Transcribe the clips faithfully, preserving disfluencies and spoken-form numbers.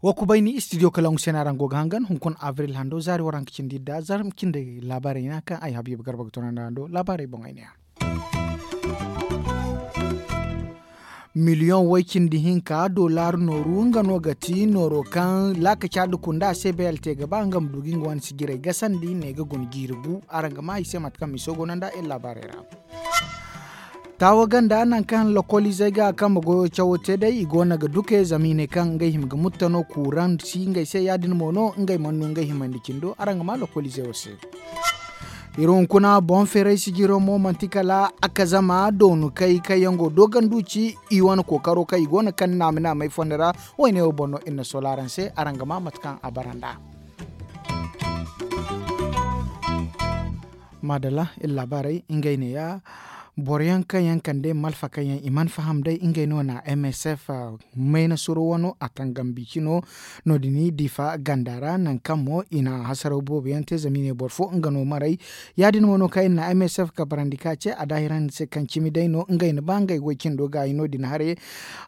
Wa kubay ni studio kalangu se no araŋ go ga hangan hunkuna abril hando zaari waranka cindi idda zarma cindi laabaarey no kaŋ ay habiiba garba ga tunandi araŋ do laabaarey boŋ ay ne a. Miliyoŋ way cindi hinka dollar nooru nga no ga ti nooro kaŋ laakaca nda kunda se bayal te ga ba nga ma du ga nga wane sijirey gasandi ne ga guna jiiri gu araŋ ga ma i se mate kaŋ miso go no nda iri laabaarey ra. Taawa ganda nangu kaŋ lokoliizey ga kambe goyo cawo te day i go no ga duke zama i ne kaŋ ngey hima ga mutta no kuuraŋ si ngey se ya- din mo no ngey mana no ngey himandi cindo araŋ ga ma lokoliizey wo se. Iri hunkuna boŋ feeray sijiro mo manti kala a ka zama doonu kay kaŋ yaŋ go doogandu ci i wane kookaro kaŋ i go no kaŋ naama naamay fondo ra. Wayne wo boŋ no iri na sola araŋ se araŋ ga ma mate kaŋ a bara nd'a. Maadalla iri laabaarey ngey neeya. Boro yaŋ kaŋ yaŋ kande malfa kaŋ yaŋ i mana faham day ngey no na m s f mayna suro wano a tangam bici no. No- din diifa ganda ra nangu kaŋ mo i na hasaraw boobo yaŋ te zama i ne boro fo nga no maray. Ya- din mo no kaŋ iri na m s f kabarandi ka ce a daahirandi se kaŋ cimi day no ngey na ba ngey goy cindo gaayi no- din haray.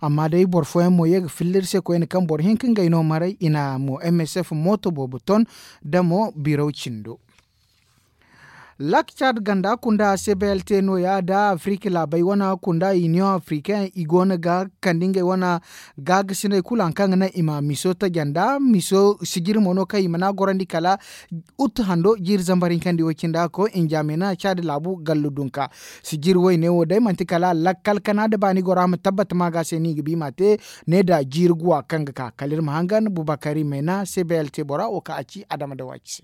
Amma day boro fooyaŋ mo ye ga filla iri se koyne kaŋ boro hinka ngey no maray i na mo m s f mooto boobo ton da mo biraw cindo. Lak cad ganda kunda c b l t no- ya da afirika laabey wane kunda union afirikain i go no ga kande ngey wane gaagasiney kulu hari kaŋ ga naŋ i ma miso taja nda miso sijiri mo no kaŋ i mana gorandi kala. Ut hando jiiri zambar hinkandi wo cindi a koy injamena cad laabu gallu dunka. Sijiri wayne wo day manti kala lakkal kana nda baani goro a ma tabbata ma ga se no i ga bi i ma te. Ne da jiiri guwa kaŋ ga ka kala iri ma hangan bubakari mena c b l t bora wo kaŋ a ci adama da waaci se.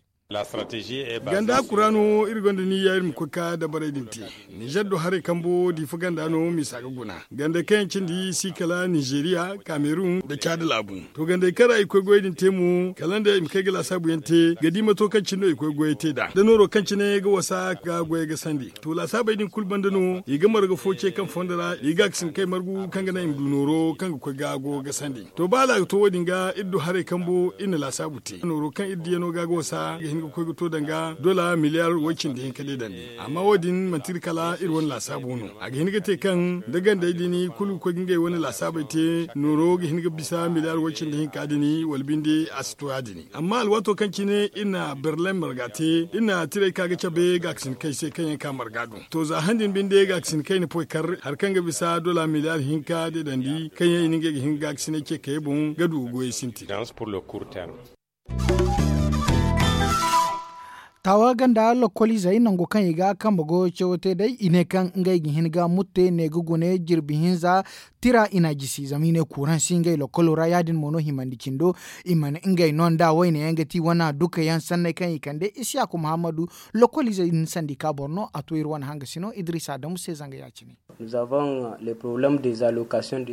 Ganda kuraano iri gonda niyya iri ma koy ka dabarey din te. Nizer do haray kambo diifa ganda no misa ga guna ganda kaŋ yaŋ cindi si kala nizeriya kamerun nda caadi laabu. To gandey kaŋ ra i koy goyey din te mo kala nda i ma kay ga laasaabu yaŋ te ga di mato kaŋ cine no i koy goyey te nd'a da nooro kaŋ cine ga wasa ga goyey ga sandi. To laasaabey din kulu banda no i ga marga fo ce kaŋ fondo ra i ga a ga sinda kay margu kaŋ ga naŋ i ma du nooro kaŋ ga koy ga go ga sandi. To ba hala a ga to wo- din ga iri du haray kambo iri na laasaabu te nooro kaŋ iri diyano ga ga wasa ga hin ga koy ga to danga dola miliyar way cindi hinka deedandi. Amma wo- din manti iri kala iri wane laasaabu no a ga hin ga te kaŋ da gandey din kulu ga koy ga ngey wane laasaabey te nooro ga hin ga bisa miliyar way cindi hinka din wala binde a si to ya- din. Amma alwaato kaŋ cine iri na berlin marga te iri na tirey ka ga cabe ga a ga sinda kay se kaŋ yaŋ ka marga do. To za han din binde ga a ga sinda kay na poy kar hari kaŋ ga bisa dola miliyar hinka deedandi kaŋ yaŋ i na ngey ga hin ga a ga sinda ce kayey boŋ ga du ga goyey sintin. Taawa ganda lokoliizey nangu kaŋ i ga kambe goyo cawo te day i ne kaŋ ngey ga hin ga mutte ne ga gune jirbi hinza tira i na a jisi zama i ne kuuraŋ si ngey lokolo ra ya- din mo no himandi cindo. I mana ngey no nda wayne yaŋ ga ti wane duka yaŋ sanney kaŋ i kande isiyaku muhammadu. Lokoliizey din sandi ka boro no a to iri wane hangasino idrisa adamu se zanga ya- cine.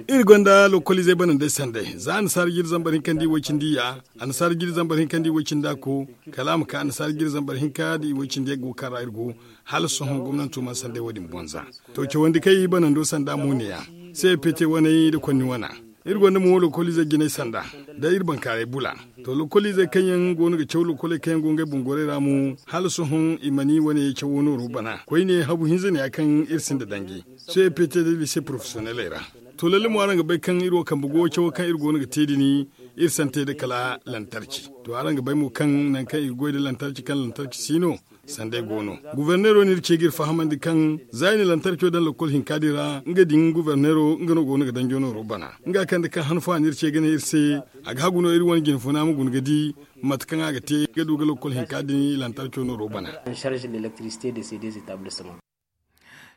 Iri gonda lokoliizey banandey sanday za annasaara jiri zambar hinkandi way cindi ya annasaara jiri zambar hinkandi way cindi a ko kala a ma ka annasaara jiri zambar hinka da i way cindi ya go kaŋ ra iri go. Hala sohõ gomnanto mana sanday wo- din bonza. To cawandi kaŋ i banando sanda mo ne ya. Seepete waney nda konni wana. Iri gonda mo lokoliizey jinay sanda da iri bankaaray bula. To lokoliizey kaŋ yaŋ go no ga caw lokoley kaŋ yaŋ go ngey boŋ gorey ra mo hala sohõ i mana i wane cawo nooro bana koyne habu hinza ne ya kaŋ iri sinda danji. Sohõ iri pete da lise porofesiyoneley ra. To lalle mo araŋ ga bay kaŋ iri wo kambe go cawo kaŋ iri go no ga te din iri sante nda kala lantarci. To araŋ ga bay mo kaŋ nangu kaŋ i ga goy nda lantarci kaŋ lantarci si no. Sanday go no. Guberneero no iri ce ga iri fahamandi kaŋ za i na lantarco daŋ lokol hinka din ra nga din guberneero nga no go no ga danjo nooro bana. Nga kande kaŋ han fo a na iri ce ga ne iri se a ga hagu no iri wane jinfuna ma guna ga di mate kaŋ a ga te ga du ga lokol hinka din lantarco nooro bana.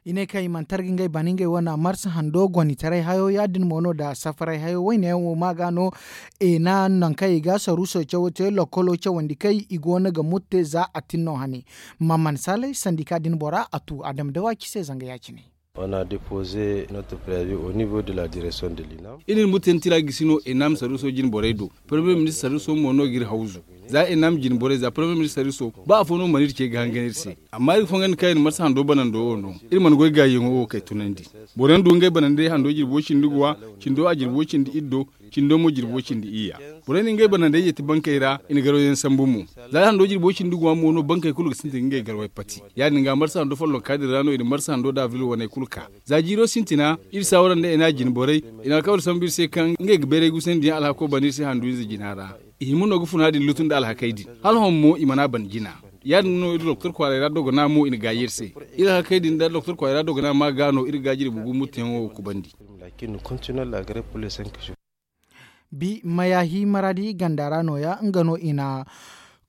I ne kaŋ i mana targa ngey bana ngey wane marsa hando gonitaray hayo ya- din mo no nda safaray hayo wayne yaŋ wo ma ga no. Eena nangu kaŋ i ga saruuso cawo te lokolo cawandi kaŋ i go no ga mutte za a tin no hane. Mamman salay sandika din bora a tu adama da waaci se zanga ya- cine. Iri na mutte ni tira gisi no eena ma saruuso jine borey do. Poromiyee ministir saruuso mo no ga iri hawzu. Za eena ma jine borey za poromiyee ministir saruuso ba afo no mana iri ce ga hangan iri se. Amma iri ga fongandi kaŋ iri marsa hando banando wo no. Iri mana goy gaayiyaŋo wo kay tunandi. Boro yaŋ du ngey banandey hando jirbo cindi guwa cindo a jirbo cindi iddo. Cindo mo jirbo cindi iyya. Borey na ngey banandey yeeti bankey ra i na garwayyaŋ sambu mo. Za hando jirbo cindi guwa mo no bankey kulu ga sintin ga ngey garway pati. Ya- din ga marsa hando follonka din ra no i na marsa hando da abril waney kulu ka. Za jiiro sintina, iri saawara nda ena jine borey, i na alkawal sambu iri se kaŋ ngey ga bayray gusandiyaŋ alhako bana iri se handu ize jina ra. I hima no ga funa din lutu nda alhakey din. Hala hõ mo i mana ban jina. Ya- din no iri doktor kwaaray ra dogona mo i na gaayi iri se. Iri alhakey din nda doktor kwaaray ra dogona ma ga no iri ga jirbi gumbutuyaŋo kubandi. Bi mayahi maradi ganda ra no- ya nga no i na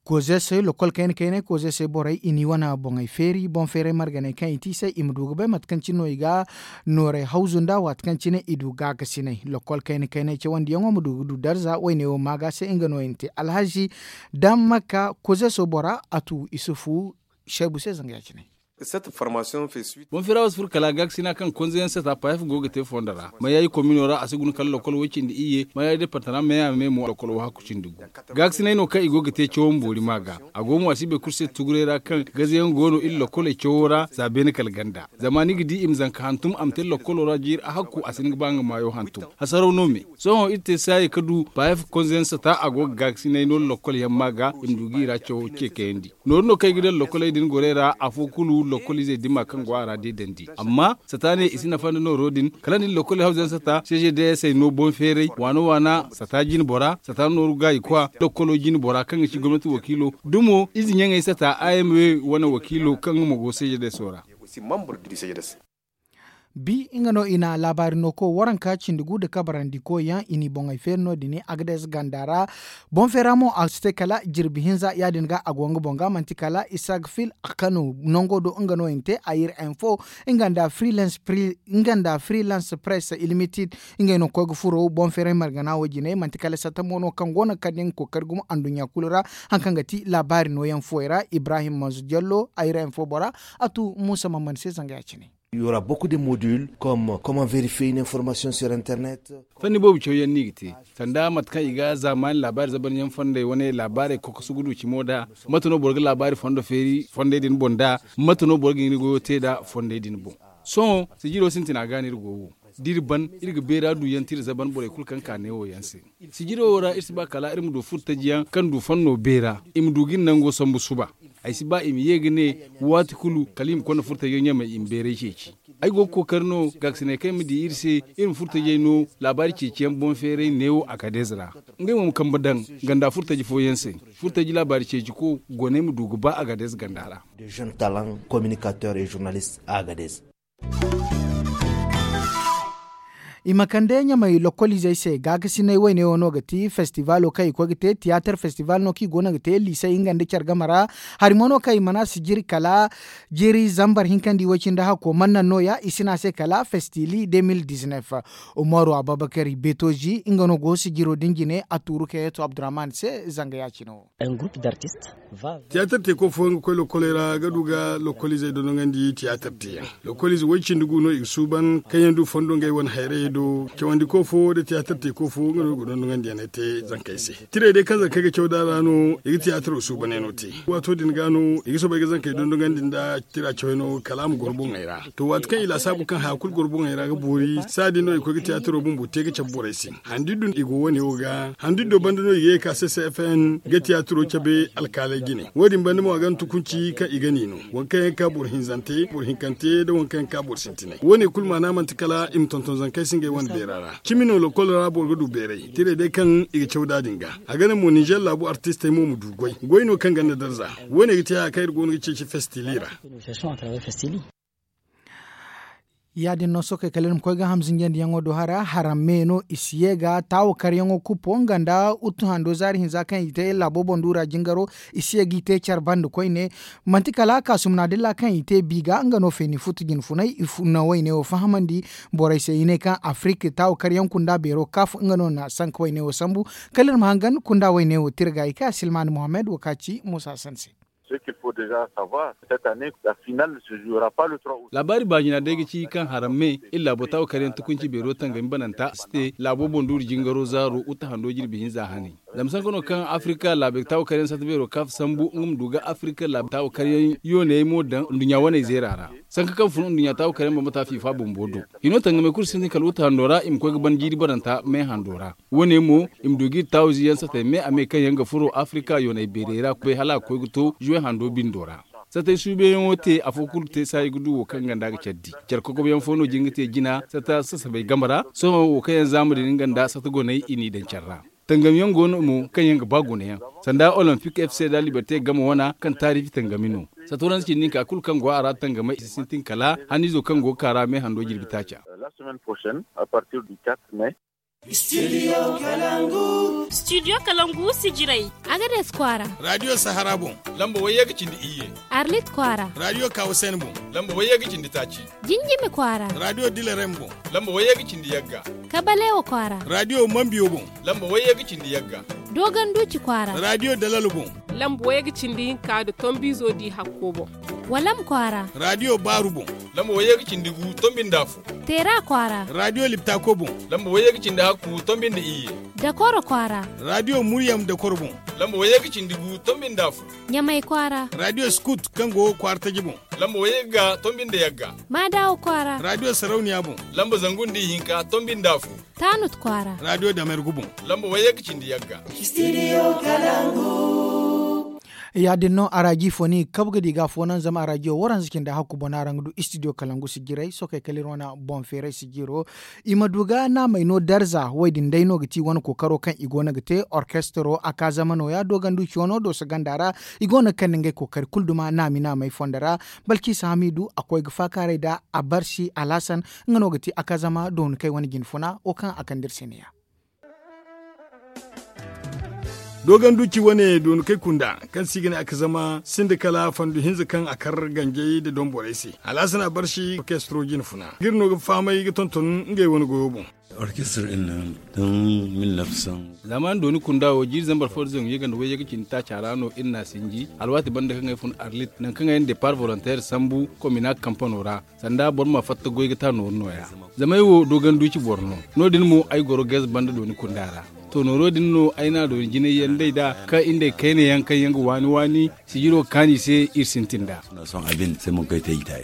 koze se lokol kayna kaynay koze se borey i n'i wane boŋey feeri boŋ feeray marganey kaŋ i te i se i ma du ga bay mate kaŋ cine no i ga nooray hawzu nda waati kaŋ cine i du gaakasinay lokol kayna kaynay cawandiyaŋo ma du ga du darza woyne wo maaga se nga no i na te alhazi daŋ makka koze se bora a tu isufu seebu se zanga ya- cine. Boŋ feera wo si furo kala gaakasina kaŋ konze yaŋ sata payef go ga te fondo ra mayayi komino ra a si guna kala lokol way cindi iyye mayayi departama meya me mo lokol wo hakku cindi gu. Gaakasinay no kaŋ i go ga te cawo ma boori ma ga. A go mo a si bay kulu se tuguray ra kaŋ gaze yaŋ go no iri lokoley cawo ra za beene kala ganda. Zama ni ga di i ma zanka hantum a ma te lokolo ra jiiri a hakku a si hin ga ba nga maayo hantum. Hasaraw no me. Sohõ iri te saayey ka du payef konze yaŋ sata a go ga gaakasinay no lokol yaŋ ma ga i ma du ga i ra cawo ce kayandi. Nooru no kaŋ ay ga daŋ lokoley din gorey ra afo kulu lokol izey dima kaŋ go a ra deedandi amma sata ne i si nafa nda nooro din kala nda ni lokoley hawzayaŋ sata seezeedayasey no boŋ feeray waana waana sata jine bora sata nooru gaayi kwa lokolo jine bora kaŋ ga ci gomnati wakiilo dumo ize ɲaŋey sata a m w wane wakiilo kaŋ nga mo go seezeedayaso ra. Bi nga no i na laabaari no ko waranka cindi gu nda kabarandi koy yaŋ i n'i boŋey feeri no- din agades ganda ra. Boŋ feera mo a si te kala jirbi hinza ya- din ga a go nga boŋ ga manti kala isaac fil a kano nango do nga no i na te ayir info nga nda freelance press ilimited. Ngey no ga koy ga furo boŋ feeray margana wo jine manti kala satta mo no kaŋ go no ga kande nga kookari gumo anduɲɲa kulu ra. Hari kaŋ ga ti laabaari nooyaŋ fuwey ra ibrahim manzu jallo ayir info bora a tu muusa mamman se zanga ya- cine. Yora boku de modul comme comment vérifier une information sur internet. Fanni boobo cawyaŋ no i ga te sanda mate kaŋ i ga zaamaani laabaari zabanyaŋ fondey wane laabaarey kokosu ga du cimo da mate no boro ga laabaari fondo feeri fondey din boŋ da mate no boro ga hin ga goyo te nda fondey din boŋ. Sohõ sijiro sintina ga no iri go wo da iri ban iri ga beera duyaŋ tira zaban borey kulu kaŋ ka neewo yaŋ se. Sijiro wo ra iri si ba kala iri ma du furtajiyaŋ kaŋ du fanno beera i ma du ga iri nango sambu suba. Ay si ba i ma ye ga ne waati kulu kala i ma konda furtajiyaŋ ɲamey i ma beeray ceeci. Ay go ga kookari no gaakasiney kaŋ ay ma di iri se iri ma furtajey no laabaari ceeciyaŋ boŋ feeray neewo a kadez ra. Ngey mo ma kambe daŋ ganda furtaji fooyaŋ se. Furtaji laabaari ceeci ko goney ma du ga ba a kadez ganda ra. De jeune talent communicateur et journaliste a kadez. I ma kande ɲamey lokoliizey se gaakasinay woyne wo no ga ti festivaalo kaŋ i koy ga te tiyaatar festival no kaŋ i go no ga te liisey nga nda care game ra. Hari mo no kaŋ i mana si jiri kala jiri zambar hinka nda i way cindi hakko man naŋ no- ya i si ne a se kala festili de mil diznef. Umaru ababakari beetozi nga no go sijiro din jine a tuuru kayeeto abdurrahman se zanga ya- cine wo. Tiyaatar teeko fooyaŋ ga koy lokoley ra ga du ga lokoliizey dondonandi tiyaatar teeyaŋ. Lokoliize way cindi gu no i ga suuban kaŋ yaŋ du fondo ngey wane hayrayey do cawandiko fo nda tiyaatar teeko fo nga no i ga dondonandi yaŋ te zankey se. Tirey day kaŋ zankey ga caw da ra no i ga tiyaataro suubaney no te. Waato din ga no i ga soobay ga zankey dondonandi nda tira cawey no kala a ma goro boŋey ra. To waati kaŋ i laasaabu kaŋ haya kulu goro boŋey ra ga boori saadin no i koy ga tiyaataro bumbo te ga cabe borey se. Handiddu i go wane wo ga handiddo banda no i ga ye ka se se fn ga tiyaataro cabe alkaaley jine. Wo- din banda mo a ga na tukunci kaŋ i ga ni no waŋ kaŋ yaŋ ka boro hinzante boro hinkante nda waŋ kaŋ yaŋ ka boro sintinay wo- ne kulu maana manti kala i ma tonton zankey se ngey wane beera ra. Cimi no lokol ra boro ga du beeray tirey day kaŋ i ga caw da din ga. A ga naŋ mo ninzeer laabu artistey mo ma du goy goy no kaŋ ganda darza. Wo- ne ga te haya kaŋ iri go no ga ceeci festili ra. Ya- din no sookey kala iri ma koy ga hamzinjandiyaŋo do hara haraŋ me no i si ye ga taawo karyaŋo kuppo nga nda uttu hando zaari hinza kaŋ i te laabo boŋ duura jingaro. I si ye g'i te care banda koyne. Manti kala kaasumna dilla kaŋ i te bi ga nga no feeni futu jinfunay i na wayne wo fahamandi borey se i ne kaŋ afirik taawo karyaŋ kunda beero kaaf nga no na sanka wayne wo sambu. Kala iri ma hangan kunda wayne wo tirga i ka silmaani mohammed wo ka ci muusa sanse. Laabaari baajina day ga ci kaŋ haramme iri laabo taawo karyaŋ tukunci beero tangami bananta si te laabo boŋ duuri jingaro zaaro uta hando jirbi hinza hane. Zama sanka no kaŋ afirika laabey taawo karyaŋ sata beero kaaf sambu nga ma du ga afirika laabey taawo karyaŋ yooney mo daŋ nduɲɲa waney zeera ra. Sanka kaŋ fun nduɲɲa taawo karyaŋ bambata fiifa bumbo do. Hino tangamey kulu sintin kala wuta hando ra i ma koy ga ban jiiri baranta me hando ra. Wo- ne mo i ma du ga iri taawo ziyaŋ satey me a me kaŋ yaŋ ga furo afirika yooney beerey ra bay hala a ga koy ga to zuwe hando bindo ra. Satay suubeyaŋo te afo kulu te saayi ga du wo kaŋ ganda ga care di. Care kokoboyaŋ fo no jin ga te jina sata sasabay game ra. Sohõ wo kaŋ yaŋ zaama din nga nda sata goney i n'i daŋ care ra. Tangam yaŋ go no mo kaŋ yaŋ ga ba gunayaŋ, sanda olympic f c da liberté game wana kaŋ taarifi tangami no. Sata waranza cindi hinka kulu kaŋ go a ra tangamay i si sintin kala haniizo kaŋ go ga ka ra me hando jirbi taaca. Studio kalangu sijirey. Agades kwaara. Radio sahara boŋ. Lamba wayye ga cindi iyye. Arlit kwaara. Radio kawasen boŋ. Lamba wayye ga cindi taaci. Jinjimi kwaara. Radio dilarem boŋ. Lamba wayye ga cindi yagga. Kabalewa kwaara. Radio mambiyo boŋ. Lamba wayye ga cindi yagga. Dogon duci kwaara. Radio dalalo boŋ. Lamba wayye ga cindi hinka da tombizo di hakko boŋ. Walam kwaara. Radio baaru boŋ. Lamba wayye ga cindi gu tombi nda fu. Teera kwaara. Radio liptako boŋ. Lamba wayye ga cindi hakku tombi nda iyye. Dakoro kwaara. Radio muryam dakoro boŋ. Lamba wayye ga cindi gu tombi nda fu. Ɲamay kwaara. Radio skut kaŋ go kwaara taji boŋ. Lamba wayye ga tombi nda yagga. Maadawo kwaara. Radio sarauniya boŋ. Lamba zangu nda ihinka tombi nda fu. Taanut kwaara. Radio damergu boŋ. Lamba wayye ga cindi yagga. Studio kalangu. Ya- din no araji fo ni ga kabu ga di ga fo naŋ zama araji wo waranza cindi hakku boŋ no araŋ ga du studio kalangu sijirey sokey kala iri wane boŋ feeray sijiro. I ma du ga naamey no darza wo- din day no ga ti wane kookaro kaŋ i go no ga te orkestro a ka zama nooya doogandu ciyo no dooso ganda ra. I go no ga kande ngey kookari kulu duma naami naamey fondo ra. Balkisa hamidu a koy ga faakaaray nda a barsi alhasan nga no ga ti a ka zama dooni kay wane jine funa wo kaŋ a kande iri se ne- ya. Dooganduci wane dooni kay kunda kaŋ se i ga ne a ga zama sinda kala fandu hinza kaŋ a kar ganjey nda donborey se. Alhasan a barsi orkestro jine funa ga iri no ga fahamay ga tonton ngey wane goyo boŋ. Orkestar din nan tun mil nafsan. Zamaani dooni kunda wo jiiri zambar fo da zangu yaganda wayye ga cindi taaca ra no iri n'a sinji alwaati banda kaŋ ay fun arlit nangu kaŋ ay na depart volontaire sambu komina kampano ra. Sanda boro ma fatta goy ga ta nooru nooya. Zama ay wo dooganduci boro no. No- din mo ay goro gez banda dooni kunda ra. To nooro din no ay n'a dooni jinay yaŋ day nd'a kaŋ iri nd'ey kayna yaŋ kaŋ yaŋ ga waani waani sijiro kaani se iri sintin nd'a.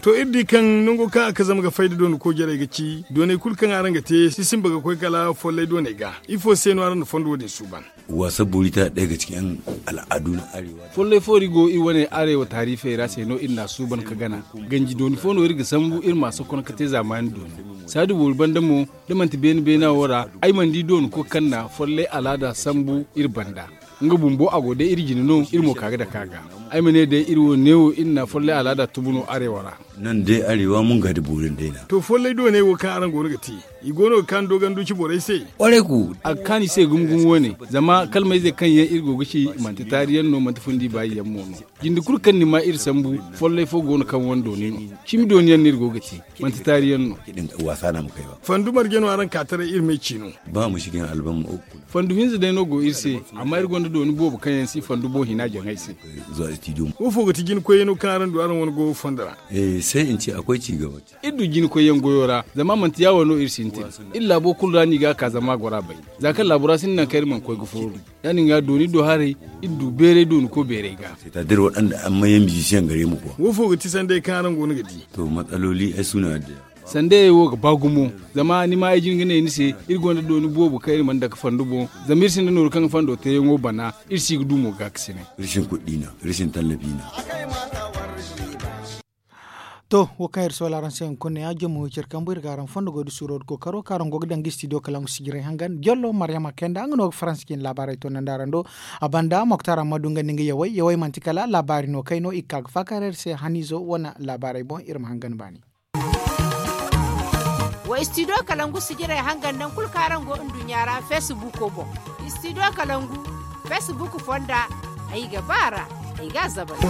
To iri di kaŋ nango kaŋ a ga zama ga fay da dooni koojarey ga ci dooney kulu kaŋ araŋ ga te si sinba ga koy kala follay dooney ga. Ifo se no araŋ na fondo wo- din suuban? Waasa boori ta day ga ci kaŋ al'adu na arewa. Follay foori go iri wane arewa taarifey ra se no iri n'a suuban ga gana. Ganji dooni fo no iri ga sambu iri m'a sokon ga te zaamaani dooni. Saadu boori banda mo da manti beene beena wo ra ay mana di dooni kulu kaŋ na follay alaada sambu iri banda. Nga bumbo a go day iri jine no iri mo ka ga dake a ga. Ay ma ne day iri wo neewo iri na follay alaada tubu no arewa ra. Nan day arewa mun ga da boorin day na. To follay dooney wo kaŋ araŋ go no ga te i go no ga kaanu dooganduci borey se. A ga kaanu i se gumo gumo wane. Zama kalmayzey kaŋ yaŋ iri go ga ci manti taari yaŋ no manti fundi baayi yaŋ mo no. Jinde kulu kaŋ ni ma iri sambu follay fo go no kaŋ wane dooni no. Cimi dooni yaŋ no iri go ga te. Manti taari yaŋ no. Fandu marje no araŋ ka taray iri me ciino. Ba ma si ga ni albam. Fandu hinza day no go iri se. Amma iri gonda dooni boobo kaŋ yaŋ si fandu boŋ hina jaŋay se. Wo fo ga ti jina koyyaŋo kaŋ araŋ du araŋ wane goyo fondo ra? Sai in ce akwai ci gaba. Iri du jina koyyaŋ goyo ra zama manti ya- wo no iri sintin. Iri laabo kulu ra no i ga a ka zama a goro a bay. Za kaŋ laabo ra sinda nangu kaŋ iri mana koy ga fooru. Ya- din ga dooni do haray iri du beeray dooni ko beeray ga. Wo fo ga ti sanday kaŋ araŋ go no ga di? To matsaloli ay suna da. Sandayey wo ga ba gumo. Zama ni ma ay jin ga ne ni se iri gonda dooni boobo kaŋ iri mana dake fandu boŋ. Zama iri sinda nooru kaŋ ga fando teeyaŋo bana. Iri si ga du mo ga ga sine. Iri sin kuɗi na iri sin tallafi na. To wo kaŋ iri soola araŋ se hunkuna ya jamo wo care kambu iri ga araŋ fondo goy da suuro da kookaro kaŋ araŋ go ga daŋ ga studio kala nga sijiray hangan jollo maryama kayanda nga no ga faransa cine laabaarey to nandi araŋ do. A banda moktar amma du nga nda nga yawey yawey manti kala laabaari no kay no i ga ka ga faakaaray iri se haniizo wane laabaarey boŋ iri ma hangan baani. Wa studio kalangu sijiray hangan naŋ kulu kaŋ araŋ go nduɲɲa ra facebook boŋ. Studio kalangu facebook fonda. Ay ga ba ra ay ga a zabari.